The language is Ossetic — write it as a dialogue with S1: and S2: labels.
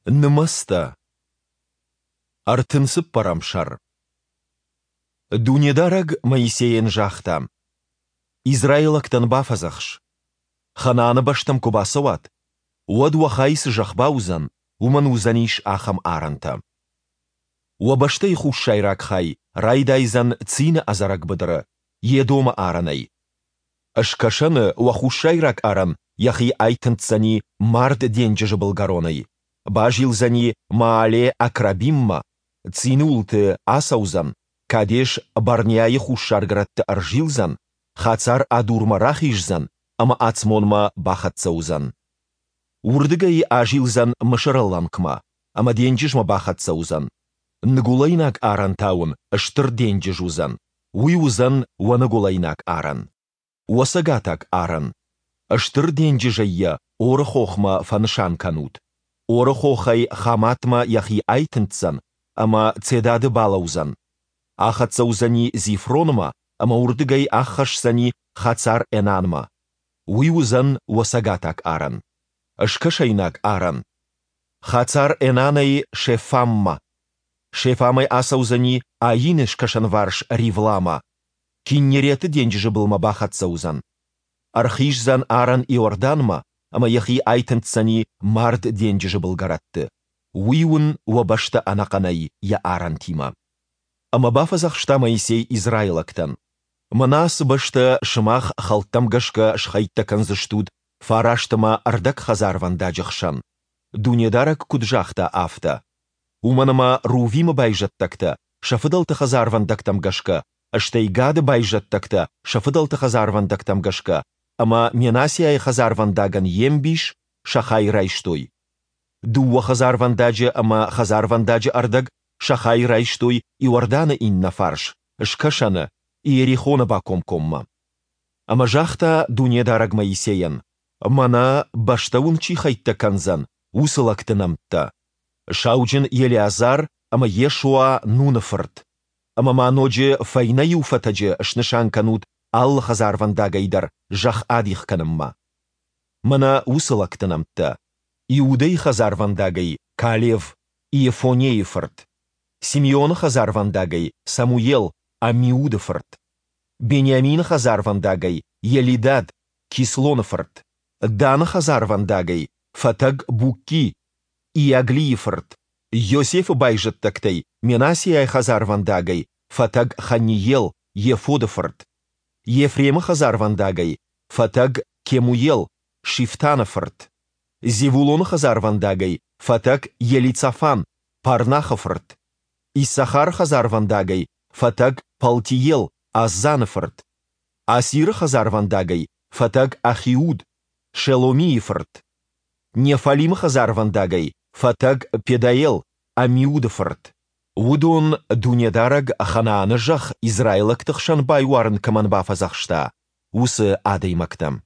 S1: Нымӕцтӕ. 34 сӕр. Дунедарӕг Моисейӕн загъта: Израилӕгтӕн бафӕдзӕхс: Ханааны бӕстӕм куы бацӕуат, уӕд уӕ хай цы зӕхх бауыдзӕн, уымӕн уыдзӕнис ахӕм арӕнтӕ. Уӕ бӕстӕйы хуссайраг хай райдайдзӕн Цины ӕдзӕрӕг быдыры, Едомы арӕнӕй. Скӕсӕны уӕ хуссайраг арӕн йӕхи айтындздзӕни Мард денджызы былгӕронӕй, базилдзӕни Маале-Акрабиммӕ, Цины уылты ацӕудзӕн, Кадеш-Барнеайы хуссаргӕрӕтты ӕрзилдзӕн, Хацар-Адурмӕ рахиздзӕн ӕмӕ Ацмонмӕ бахӕццӕ уыдзӕн. Уырдыгӕй азилдзӕн Мысыры лӕнкмӕ ӕмӕ денджызмӕ бахӕццӕ уыдзӕн. Ныгуылӕйнаг арӕн та уын Стыр денджыз уыдзӕн, уый уыдзӕн уӕ ныгуылӕйнаг арӕн. Уӕ цӕгатаг арӕн. Стыр денджызӕй йӕ Оры хохмӕ фӕнысан кӕнут. Оры хохӕй Хаматмӕ йӕхи айтындздзӕн ӕмӕ Цедады балӕудзӕн. Ахӕццӕ уыдзӕни Зифронмӕ ӕмӕ уырдыгӕй аххӕсдзӕни Хацар-Энанмӕ. Уый уыдзӕн уӕ цӕгатаг арӕн. Скӕсӕйнаг арӕн. Хацар-Энанӕй Шефаммӕ. Шефамӕй ацӕудзӕни Аины скӕсӕнварс Ривламӕ. Киннереты денджызы былмӕ бахӕццӕ уыдзӕн. Ӕрхиздзӕн арӕн Иорданмӕ ӕмӕ йӕхи айтындздзӕни Мард денджызы былгӕрӕтты. Уый уын уӕ бӕстӕ ӕнӕхъӕнӕй йӕ арӕнтимӕ. Ӕмӕ бафӕдзӕхста Моисей израилӕгтӕн, Мӕнӕ ацы бӕстӕ сымах хӕлттӕм гӕсгӕ схӕйттӕ кӕндзыстут фараст ӕмӕ ӕрдӕг хӕдзарвӕндаджы хсӕн, Дунедарӕг куыд загъта, афтӕ. Уымӕн ӕмӕ Рувимы байзӕддӕгтӕ сӕ фыдӕлты хӕдзарвӕндӕгтӕм гӕсгӕ, стӕй Гады байзӕддӕгтӕ сӕ фыдӕлты хӕдзарвӕндӕгтӕм гӕсгӕ ӕмӕ Менассиайы хӕдзарвӕндагӕн йе мбис сӕ хай райстой. Дыууӕ хӕдзарвӕндаджы ӕмӕ хӕдзарвӕндаджы ӕрдӕг сӕ хай райстой Иорданы иннӕ фарс, скӕсӕны, Иерихоны бакомкоммӕ. Ӕмӕ загъта Дунедарӕг Моисейӕн, Мӕнӕ, бӕстӕ уын чи хӕйттӕ кӕндзӕн, уыцы лӕгты нӕмттӕ: сауджын Елеазар ӕмӕ Йешуа Нуны фырт. Ӕмӕ ма ноджы фӕйнӕ иу фӕтӕджы снысан кӕнут алы хӕдзарвӕндагӕй дӕр зӕхх адих кӕнынмӕ. Мӕнӕ уыцы лӕгты нӕмттӕ: Иудӕйы хӕдзарвӕндагӕй Калев, Иефонейы фырт. Симеоны хӕдзарвӕндагӕй Самуел, Аммиуды фырт. Бениамины хӕдзарвӕндагӕй Елидад, Кислоны фырт. Даны хӕдзарвӕндагӕй фӕтӕг Букки, Иаглийы фырт. Йосефы байзӕддӕгтӕй Менассиайы хӕдзарвӕндагӕй фӕтӕг Ханниел, Ефоды фырт. Ефремы хӕдзарвӕндагӕй фӕтӕг Кемуел, Шифтаны фырт. Зевулоны хӕдзарвӕндагӕй фӕтӕг Елицафан, Парнахы фырт. Иссахары хӕдзарвӕндагӕй фӕтӕг Палтиел, Аззаны фырт. Асиры хӕдзарвӕндагӕй фӕтӕг Ахиуд, Шеломийы фырт. Неффалимы хӕдзарвӕндагӕй фӕтӕг Педаел, Аммиуды фырт. Уыдон, Дунедарӕг Ханааны зӕхх израилӕгты хсӕн байуарын кӕмӕн бафӕдзӕхста, уыцы адӕймӕгтӕ.